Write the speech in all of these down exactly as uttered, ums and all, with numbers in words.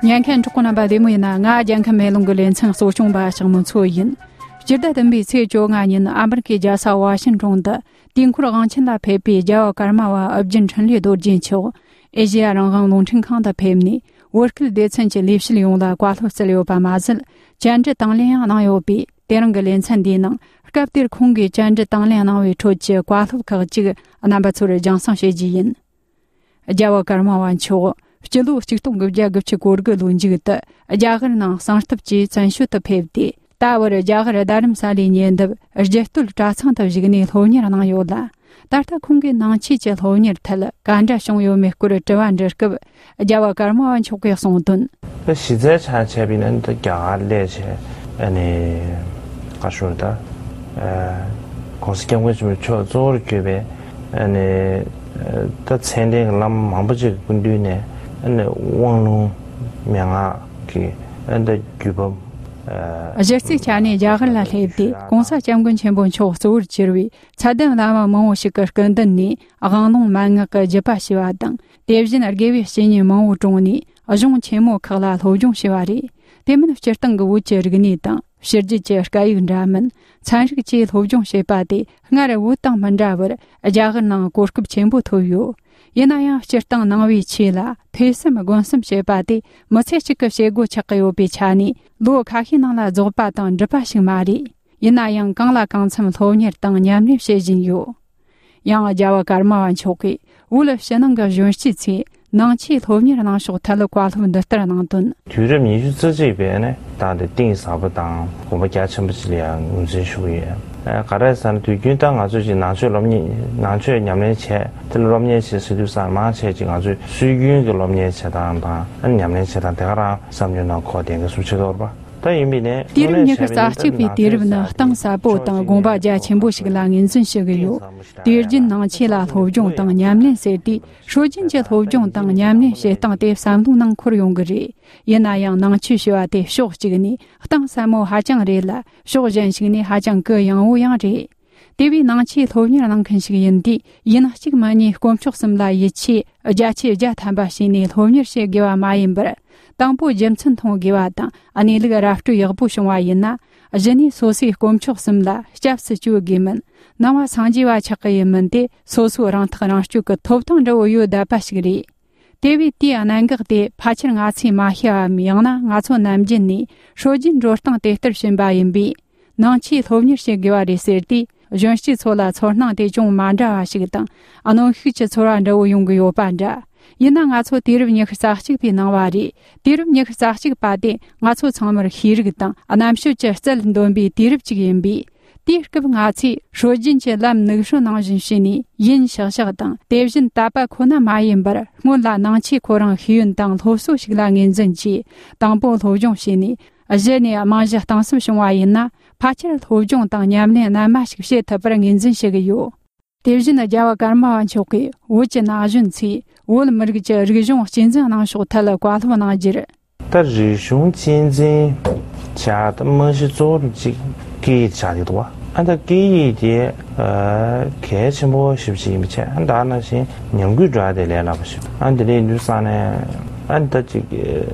ཉན་མཁན་གྲོགས་པོ་རྣམ་པ་བདེ་མོ་ཡིན་ན། ང་རྒྱལ་ཁམས་མེ་ལོང་གི་ལེ་ཚན་གཙོ་སྐྱོང་པ་ཞག་མོ་མཚོ་ཡིན། སྤྱི་ཟླ་བདུན་པའི་ཚེས་བཅོ་ལྔ་ཉིན་ཨ་མེ་རི་ཁའི་རྒྱལ་ས་ཝ་ཤིང་ཊོན་དུ་དུས་འཁོར་དབང་ཆེན་ལ་ཕེབས་པའི་རྒྱལ་བ་ཀརྨ་པ་ཨོ་རྒྱན་འཕྲིན་ལས་རྡོ་རྗེ་མཆོག་ཨེ་ཤེ་ཡ་རང་དབང་རླུང་འཕྲིན་ཁང་དུ་ཕེབས་ནས། བོད་སྐད་སྡེ་ཚན་གྱི་ལས་བྱེད་ཡོངས་ལ་བཀའ་སློབ་སྩལ་ཡོད་པ་མ་ཟད། བཅར་འདྲི་དང་ལེན་ཡང་གནང་ཡོད་པས། དེ་རིང་གི་ལེ་ཚན་འདིའི་ནང་། སྐབས་དེར་ཁོང་གིས་བཅར་འདྲི་དང་ལེན་གནང་བའི་ཁྲོད་ཀྱི་བཀའ་སློབ་ཁག་ཅིག་རྣམ་པ་ཚོར་རྒྱང་སྲིང་བྱེད་རྒྱུ་ཡིན། རྒྱལ་བ་ཀརྨ་པ་མཆོག་སྤྱི་ལོ་ཆིག་སྟོང་དགུ་བརྒྱ་དགུ་བཅུ་གོ་དགུ་ལོའི་མཇུག་ཏུ། རྒྱ་གར་ནང་གསང་སྟབས་ཀྱིས་བཙན་བྱོལ་དུ་ཕེབས་ཏེ། ད་བར་རྒྱ་གར་རྡ་རམ་ས་ལའི་ཉེ་འདབས་རྒྱུ་སྟོད་གྲྭ་ཚང་དུ་བཞུགས་ནས་སློབ་གཉེར་གནང་ཡོད་ལ། ད་ལྟ་ཁོང་གིས་ནང་ཆོས་ཀྱི་སློབ་གཉེར་ཐད་ག་འདྲ་བྱུང་ཡོད་མེད་སྐོར་དྲི་བ་འདྲི་སྐབས། རྒྱལ་བ་ཀརྨ་པ་མཆོག་གིས་གསུངས་དོན། ད་གཞི་རྩའི་ཆ་བྱས་པ་ཡིན་ན། ད་རྒྱ་གར་སླེབས་བྱས། ཨ་ནི་ག་ཞུ་ད། ཨ་༸གོང་ས་༸སྐྱབས་མགོན་ཆེན་པོ་མཆོག་གཙོ་བོར་གྱུར་པའི། ཨ་ནི་ད་མཚན་ལྡན་གྱི་བླ་མ་མང་པོ་ཅིག་གི་སྐུ་མདུན་ནས། ཨ་ནི་དབང་ལུང་མན་ངག་གི། ཨ་ནི་ད་བརྒྱུད་པ། ཨ་གཞི་རྩའི་ཆ་ནས་རྒྱ་གར་ལ་སླེབས་ཏེ། ༸གོང་ས་༸སྐྱབས་མགོན་ཆེན་པོ་མཆོག་གཙོ་བོར་གྱུར་པའི་ཚད་ལྡན་བླ་མ་མང་པོ་ཞིག་གི་སྐུ་མདུན་ནས་དབང་ལུང་མན་ངག་གི་བརྒྱུད་པ་ཞུས་པ་དང་། དེ་བཞིན་དགེ་བའི་བཤེས་གཉེན་མང་པོ་གྲོངས་ནས། གཞུང་ཆེན་མོ་ཁག་ལ་སློབ་སྦྱོང་བྱས་པ་རེད། དེ་མིན་སྤྱིར་བཏང་གི་བོད་ཀྱི་རིག་གནས་དང་། ཕྱི་རྒྱལ་གྱི་སྐད་ཡིག་འདྲ་མིན། ཚན་རིག་བཅས་སློབ་སྦྱོང་བྱས་པ་དེ། སྔར་བོད་དང་མི་འདྲ་བར་རྒྱ་གར་ནང་གོ་སྐབས་ཆེན་པོ་ཐོབ་ཡོད། ཡིན་ན་ཡང་། སྤྱིར་བཏང་ནང་པའི་ཆོས་ལ་ཐོས་བསམ་སྒོམ་གསུམ་བྱེད་པ་དེ། མི་ཚེ་གཅིག་གི་བྱེད་སྒོ་ཆགས་ཀྱི་ཡོད་པའི་ཆ་ནས། ལོ་ཁ་ཤས་ནང་ལ་རྫོགས་པ་དང་འགྲུབ་པ་ཞིག་མ་རེད། ཡིན་ན་ཡང་། གང་ལ་གང་འཚམ་སློབ་གཉེར་དང་ཉམས་ལེན་བྱེད་བཞིན་ཡོད། ཡང་། རྒྱལ་བ་ཀརྨ་པ་མཆོག་གིས་བོད་ཕྱི་ནང་གི་གཞོན་སྐྱེས་ཚོས་ནང་ཆོས་སློབ་གཉེར་གནང་ཕྱོགས་ཐད་བཀའ་སློབ་འདི་ལྟར་གནང་དོན། དུས་རབས་ཉི་ཤུ་རྩ་གཅིག་པའི་ནས་བཏང་སྟེ། གཏིང་ཟབ་པོ་དང་དགོངས་པ་རྒྱ་ཆེན་པོ་ཞིག་ལ་ཡང་ངོས་འཛིན་ཞུ་གི་ཡོད། ཨ་ག་རེ་ཟེར་ན། དུས་རྒྱུན་ད་ང་ཚོས་ཅིག་ནང་ཆོས་སློབ་གཉེར། ནང་ཆོས་ཉམས་ལེན་བྱས། དེ་ལ་སློབ་གཉེར་བྱེད་ཟེར་དུས་ཙང་། མང་ཆེ་ཅིག་ང་ཚོས་སྲོལ་རྒྱུན་གྱི་སློབ་གཉེར་བྱེད་སྟངས་དང་། ཨ་ཉམས་ལེན་བྱེད་སྟངས་དེ་ག་རང་བསམ་བློའི་ནང་འཁོར་བསྡད་མཁན་སུ་ཆེ་དོར་བ། ད་ཡིན་པས་ནས། དུས་རབས་ཉི་ཤུ་རྩ་གཅིག་པའི་དུས་རབས་ནི་གཏིང་ཟབ་པོ་དང་དགོངས་པ་རྒྱ་ཆེན་པོ་ཞིག་ལ་ངོས་འཛིན་ཞུ་གི་ཡོད། དུས་རྒྱུན་ནང་ཆོས་ལ་སློབ་སྦྱོང་དང་ཉམས་ལེན་ཟེར་དུས། སྲོལ་རྒྱུན་གྱི་སློབ་སྦྱོང་དང་ཉམས་ལེན་བྱེད་སྟངས་དེ་བསམ་བློའི་ནང་འཁོར་ཡོང་གི་རེད། ཡིན་ན་ཡང་། ནང་ཆོས་ཞེས་པ་དེ་ཕྱོགས་གཅིག་ནས་གཏིང་ཟབ་མོ་ཧ་ཅང་རེད་ལ། ཕྱོགས་གཞན་ཞིག་ནས་ཧ་ཅང་གུ་ཡངས་པོ་ཡང་རེད། དེ་བས་ནང་ཆོས་སློབ་གཉེར་གནང་མཁན་ཞིག་ཡིན་དུས། ཡིན་གཅིག་མིན་གཉིས་དཀོན་མཆོག་གསུམ་ལ་ཡིད་ཆེས་བརྒྱ་ཆའི་བརྒྱ་ཐམ་པ་བྱས་ནས་སློབ་གཉེར་བྱེད་དགོས་པ་མ་ཡིན་པར། དང་པོ་རྒྱུ་མཚན་མཐོང་དགོས་པ་དང་། གནས་ལུགས་ར་སྤྲོད་ཡག་པོ་བྱུང་བ་ཡིན་ན། གཞི་ནས་སོ་སོའི་དཀོན་མཆོག་གསུམ་ལ་སྐྱབས་སུ་བཅོལ་དགོས་མིན། ནང་པ་སངས་རྒྱས་པ་ཆགས་ཀྱི་ཡིན་མིན་དེ། སོ་སོའི་རང་ཐག་རང་གཅོད་ཀྱི་ཐོབ་ཐང་འདྲ་བོ་ཡོད་བསྡད་པ་ཞིག་རེད། དེ་བས་དེའི་གནད་འགག་དེ་ཕལ་ཆེར་ང་ཚོས་མ་ཤེས་པའམ། ཡང་ན་ང་ཚོ་ནམ་རྒྱུན་ནས་སྲོལ་རྒྱུན་འགྲོ་སྟངས་དེ་ལྟར་ཕྱིན་པ་ཡིན་པས། ནང་ཆོས་སློབ་གཉེར་བྱེད་དགོས་པ་རེད་ཟེར་དུས། གཞོན་སྐྱེས་ཚོ་ལ་ཚོར་སྣང་དེ་ཅུང་མ་འདྲ་བ་ཞིག་དང་། གནོན་ཤུགས་ཀྱི་ཚོར་བ་འདྲ་བོ་ཡོང་གི་ཡོད་པ་འདྲ། ཡིན་ན་ང་ཚོ་དུས་རབས་ཉི་ཤུ་རྩ་གཅིག་པའི་ནང་པ་རེད། དུས་རབས་ཉི་ཤུ་རྩ་གཅིག་པ་དེ་ང་ཚོ་ཚང་མར་ཤེས་རིག་དང་རྣམ་དཔྱོད་ཀྱི་རྩལ་འདོན་པའི་དུས་རབས་ཅིག་ཡིན་པས། དེའི་སྐབས་ང་ཚོས་སྲོལ་རྒྱུན་གྱི་ལམ་ནུབ་སྲོལ་ནང་བཞིན་བྱས་ནས། ཡིན་ཤག་ཤག་དང་། དེ་བཞིན་དད་པ་ཁོ་ན་མ་ཡིན་པར། སྔོན་ལ་ནང་ཆོས་ཁོ་རང་ཤེས་ཡོན་དང་སློབ་གསོ་ཞིག་ལ་ངོས་འཛིན་གྱིས། དང་པོ་སློབ་སྦྱོང་བྱས་ནས། གཞི་ནས་རྨང་གཞི་གཏིང་ཟབ་བྱུང་བ་ཡིན་ན། ཕལ་ཆེར་སློབ་སྦྱོང་དང་ཉམས་ལེན་རྣལ་མ་ཞིག་བྱེད་ཐུབ་པར་ངོས་འཛིན་བྱེད་ཀྱི་ཡོད། དེ་བཞིན་རྒྱལ་བ་ཀརྨ་པ་མཆོག་གིས་བོད་ཀྱི་ན་གཞོན་ཚོས་བོད་མི་རིགས་ཀྱི་རིག་གཞུང་གཅེས་འཛིན་གནང་ཕྱོགས་ཐད་བཀའ་སློབ་གནང་རྒྱུར། ད་རིག་གཞུང་གཅེས་འཛིན་བྱ་ད་རྨང་གཞི་གཙོ་བོ་གཅིག་སྐད་ཡིག་ཆགས་ཀྱི་འདུག་བ། ཨ་ད་སྐད་ཡིག་དེ་ཨ་གལ་ཆེན་པོ་ཞེ་པོ་ཅིག་ཡིན་པ་བྱས། ཨ་ད་ནང་བཞིན་ཉམས་རྒུད་འགྲོ་ཡ་དེ་ལས་སླ་པོ་ཞིག་ཨ་དེ་འདྲ་ཡིན་དུས་ཙང་ནས། ཨ་ད་ཅིག་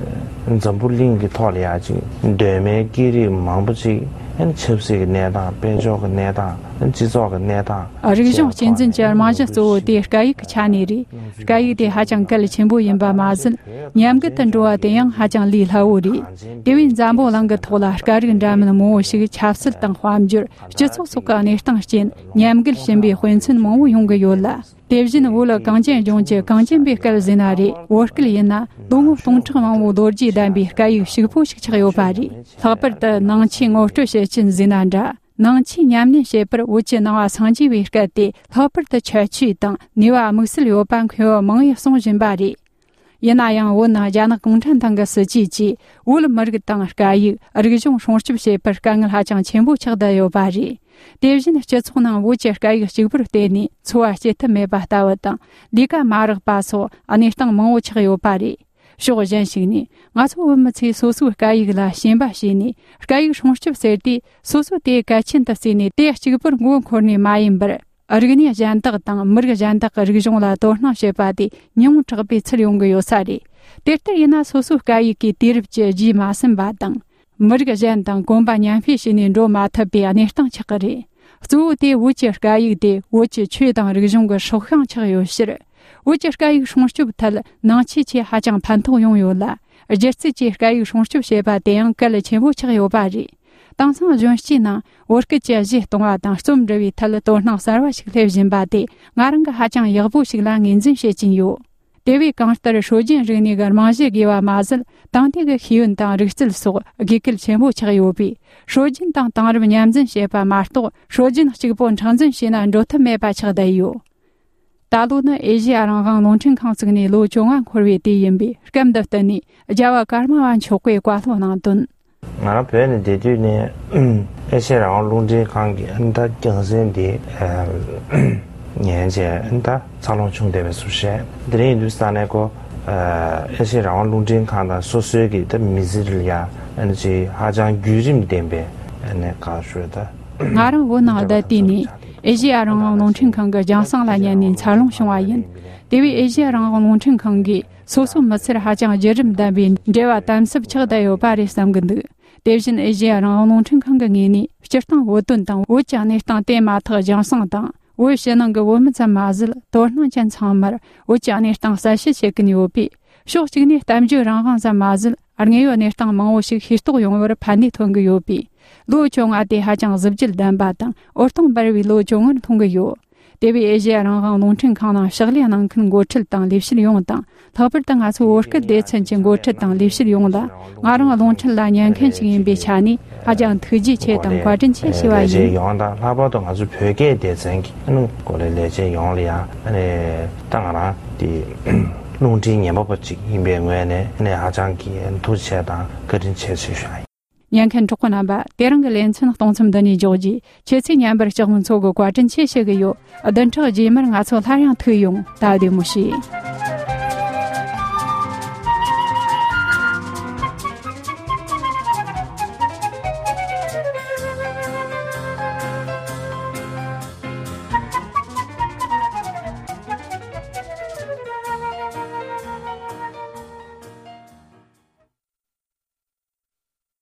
འཛམ་བུ་གླིང་གི་ཐོག་ལ་ཡ་ཅིག་གདོད་མའི་སྐད་རིགས་མང་པོ་ཅིག་ཨ་ཆབ་སྲིད་ཀྱི་གནས་སྟངས། དཔལ་འབྱོར་གྱི་གནས་སྟངས། སྤྱི་ཚོགས་ཀྱི་གནས་སྟངས། རིག་གཞུང་གཅེས་འཛིན་གྱི་རྨང་གཞི་གཙོ་བོ་དེ་སྐད་ཡིག་ཆགས་ནས་རེད། སྐད་ཡིག་དེ་ཧ་ཅང་གལ་ཆེན་པོ་ཡིན་པ་མ་ཟད། ཉམས་རྒུད་དུ་འགྲོ་བ་དེ་ཡང་ཧ་ཅང་ལས་སླ་བོ་རེད། དེ་བས་འཛམ་བུ་གླིང་གི་ཐོག་ལ་སྐད་རིགས་འདྲ་མིན་མང་བོ་ཞིག་ཆབ་སྲིད་དང་དཔལ་འབྱོར། སྤྱི་ཚོགས་སོགས་ཀྱི་གནས་སྟངས་རྐྱེན་ཉམས་རྒུད་ཕྱིན་པའི་དཔེ་མཚོན་མང་བོ་ཡོང་གི་ཡོད་ལ། དེ་བཞིན་བོད་གངས་ཅན་ལྗོངས་ཀྱི་གངས་ཅན་པའི་སྐད་ཟེར་ན་རེད། བོད་སྐད་ཡིན་ན་ལོ་ངོ་སྟོང་ཕྲག་མང་བོའི་ལོ་རྒྱུས་ལྡན་པའི་སྐད་ཡིག་ཕྱུག་པོ་ཞིག་ཆགས་ཡོད་པ་རེད། ལྷག་པར་དུ་ནང་ཆོས་ངོ་སྤྲོད་བྱེད་ཀྱིན་ཟེར་ན་འདྲ། ནང་ཆོས་ཉམས་ལེན་བྱེད་པར་བོད་ཀྱི་ནང་པ་སངས་རྒྱས་པའི་སྐད་དེ་ལྷག་པར་དུ་ཁྱད་ཆོས་དང་ནུས་པ་དམིགས་བསལ་ཡོད་པ་མཁས་པ་མང་བས་གསུང་བཞིན་པ་རེད། ཡིན་ན་ཡང་བོད་ནང་རྒྱ་ནག་གུང་ཁྲན་ཏང་གི་སྲིད་ཇུས་ཀྱིས་བོད་མི་རིགས་དང་སྐད་ཡིག་རིག་གཞུང་སྲུང་སྐྱོབ་བྱེད་པར་དཀའ་ངལ་ཧ་ཅང་ཆེན་པོ་ཆགས་བསྡད་ཡོད་པ་རེད། དེ་བཞིན་སྤྱི་ཚོགས་ནང་བོད་ཀྱི་སྐད་ཡིག་གཅིག་པུར་བརྟེན་ནས་འཚོ་བ་སྐྱེལ་ཐབས་མེད་པ་ལྟ་བུ་དང་། ལས་ཀ་མ་རག་པ་སོགས་གནས་སྟངས་མང་བོ་ཆགས་ཡོད་པ་རེད། ཕྱོགས་གཞན་ཞིག་ནས། ང་ཚོ་བོད་མི་ཚོས་སོ་སོའི་སྐད་ཡིག་ལ་ཞེན་པ་བྱས་ནས། སྐད་ཡིག་སྲུང་སྐྱོབ་ཟེར་དུས། སོ་སོ་དེ་གལ་ཆེན་དུ་བརྩིས་ནས། དེ་གཅིག་པུར་མགོ་འཁོར་ནས་མ་ཡིན་པར། རིག་གནས་གཞན་དག་དང་མི་རིགས་གཞན་དག་གི་རིག་གཞུང་ལ་དོ་སྣང་བྱེད་པ་དེ་ཉུང་དྲགས་པའི་ཚུལ་ཡོང་གི་ཡོད་ས་རེད། དེ་ལྟར་ཡིན་ན་སོ་སོའི་སྐད་ཡིག་གི་དུས་རབས་ཀྱི་རྗེས་མ་ཟིན་པ་དང་། མི་རིགས་གཞན་དང་གོམ་པ་མཉམ་སྤོས་བྱས་ནས་འགྲོ་མ་ཐུབ་པའི་གནས་སྟངས་ཆགས་ཀྱི་རེད། གཙོ་བོ་དེ་བོད་ཀྱི་སྐད་ཡིག་དེ་བོད་ཀྱི་ཆོས་དང་རིག་གཞུང་གི་སྲོག་ཤིང་ཆགས་ཡོད་ཕྱིར། བོད་ཀྱི་སྐད་ཡིག་སྲུང་སྐྱོབ་ཐད་ནང་ཆོས་ཆེད་ཧ་ཅང་ཕན་ཐོགས་ཡོང་ཡོད་ལ། སྒྱུ་རྩལ་གྱིས་སྐད་ཡིག་སྲུང་སྐྱོབ་བྱེད་པ་དེ་ཡང་གལ་ཆེན་པོ་ཆགས་ཡོད་པ་རེད། དེང་སང་གཞོན་སྐྱེས་ནང་བོད་སྐད་ཀྱི་གཞས་གཏོང་བ་དང་རྩོམ་འབྲི་བའི་ཐད་དོ་སྣང་གསར་བ་ཞིག་སླེབས་བཞིན་པ་དེ་ང་རང་གི་ཧ་ཅང་ཡག་པོ་ཞིག་ལ་ངོས་འཛིན་བྱེད་ཀྱིན་ཡོད། དེ་བས་གང་ལྟར་སྲོལ་རྒྱུན་རིག་གནས་ཀྱི་རྨང་གཞི་དགོས་པ་མ་ཟད། དེང་དུས་ཀྱི་ཤེས་ཡོན་དང་རིག་རྩལ་སོགས་དགོས་གལ་ཆེན་པོ་ཆགས་ཡོད་པས། སྲོལ་རྒྱུན་དང་དེང་རབས་མཉམ་འཛིན་བྱེད་པ་མ་གཏོགས། སྲོལ་རྒྱུན་གཅིག་པོ་མཁྲེགས་འཛིན་བྱས་ན་འགྲོ་ཐབས་མེད་པ་ཆགས་བསྡད་ཡོད། ད་ལོ་ནི་ཨེ་ཤེ་ཡ་རང་དབང་རླུང་འཕྲིན་ཁང་བཙུགས་ནས་ལོ་བཅོ་ལྔ་འཁོར་བའི་དུས་ཡིན་པས། སྐབས་འདི་བསྟུན་ནས་རྒྱལ་བ་ཀརྨ་པ་མཆོག་གིས་བཀའ་སློབ་གནང་དོན། ང་རང་བོད་ནས་བསྡད་དུས་ནས་ཨེ་ཤེ་ཡ་རང་དབང་རླུང་འཕྲིན་ཁང་གི་ཨ་ནི་ད་རྒྱང་སྲིང་འདི་ཨ་ཉན་བྱས་ཨ་ནི་ད་འཚར་ལོངས་བྱུང་བསྡད་པའི་ཟུར་བཤད། དེ་རིང་ཡིན་དུས་ས་གནས་ཀོ་ཨེ་ཤེ་ཡ་རང་དབང་རླུང་འཕྲིན་ཁང་དང་སོ་སོའི་གི་ད་མི་ཚེ་ལ་ཡ་ཨ་ནི་ཅིག་ཧ་ཅང་བརྒྱུད་རིམ་ལྡན་པའི་ཨ་ནི་ག་ཞུ་ད། ང་རང་བོད་ནང་བསྡད་དུས་ནས་ཨེ་ཤེ་ཡ་རང་དབང་རླུང་འཕྲིན་ཁང་གི་རྒྱང་སྲིང་ལ་ཉན་ནས་འཚར་ལོངས་བྱུང་བ་ཡིན། དེ་བས་ཨེ་ཤེ་ཡ་རང་དབང་རླུང་འཕྲིན་ཁང་གིས་སོ་སོའི་མི་ཚེར་ཧ་ཅང་བརྒྱུད་རིམ་ལྡན་པའི་འབྲེལ་བ་དམ་ཟབ་ཆགས་བསྡད་ཡོད་པ་རེད་བསམ་གྱི་འདུག། དེ་བཞིན་ཨེ་ཤེ་ཡ་རང་དབང་རླུང་འཕྲིན་ཁང་གི་ངོས་ནས་སྤྱིར་བཏང་བོད་དོན་དང་བོད་ཀྱི་གནས་སྟངས་དེ་མ་ཐག་རྒྱང་སྲིང་དང་། བོད་ཕྱི་ནང་གི་བོད་མི་ཙམ་མ་ཟད། དོ་སྣང་ཅན་ཚང་མར་བོད་ཀྱི་གནས་སྟངས་གསལ་བཤད་བྱེད་ཀྱིན་ཡོད་པས། ཕྱོགས་གཅིག་ནས་གཏམ་བརྗོད་རང་དབང་ཙམ་མ་ཟད། དངོས་ཡོད་གནས་སྟངས་མང་བོ་ཞིག་ཤེས་རྟོགས་ཡོང་བར་ཕན་ནུས་ཐོན་གྱི་ཡོད་པས། ལོ་བཅོ་ལྔ་དེ་ཧ་ཅང་གཟི་བརྗིད་ལྡན་པ་དང་འོད་སྟོང་འབར་བའི་ལོ་བཅོ་ལྔར་མཐོང་གི་ཡོད། དེ་བས་ཨེ་ཤེ་ཡ་རང་དབང་རླུང་འཕྲིན་ཁང་ནང་ཕྱག་ལས་གནང་མཁན་འགོ་ཁྲིད་དང་ལས་བྱེད་ཡོངས་དང་། ལྷག་པར་དུ་ང་ཚོ་བོད་སྐད་སྡེ་ཚན་གྱི་འགོ་ཁྲིད་དང་ལས་བྱེད་ཡོངས་ལ། ང་རང་རླུང་འཕྲིན་ལ་ཉན་མཁན་ཞིག་ཡིན་པའི་ཆ་ནས་ཧ་ཅང་ཐུགས་རྗེ་ཆེ་དང་བཀའ་དྲིན་ཆེ་ཞུ་བ་ཡིན། ཡོངས་དང་ལྷག་པར་དུ་ང་ཚོ་བོད་སྐད་སྡེ་ཚན་གྱི་ཨ་ནི་གོ་ལའི་ལས་བྱེད་ཡོངས་ལ་ཡང་ཨ་ནི་ད་ང་རང་དེ་རླུང་འཕྲིན་ཉན་པ་པོ་ཅིག་ཡིན་པའི་ངོས་ནས་ཨ་ནི་ཧ་ཅང་གི་ཐུགས་རྗེ་ཆེ་དང་བཀའ་དྲིན་ཆེ་ཞེས་ཞུ་བ་ཡིན། ཉན་མཁན་གྲོགས་པོ་རྣམ་པ། དེ་རིང་གི་ལེ་ཚན་གཏོང་མཚམས་འདི་ནས་འཇོག་རྒྱུ། ཁྱེད་ཚོས་ཉན་པར་ལྕགས་མོ་མཚོ་གི་བཀའ་དྲིན་ཆེ་ཞུ་གི་ཡོད། བདུན་ཕྲག་རྗེས་མར་ང་ཚོ་སླར་ཡང་ཐུག་ཡོང་། ད་བདེ་མོ་བྱོས།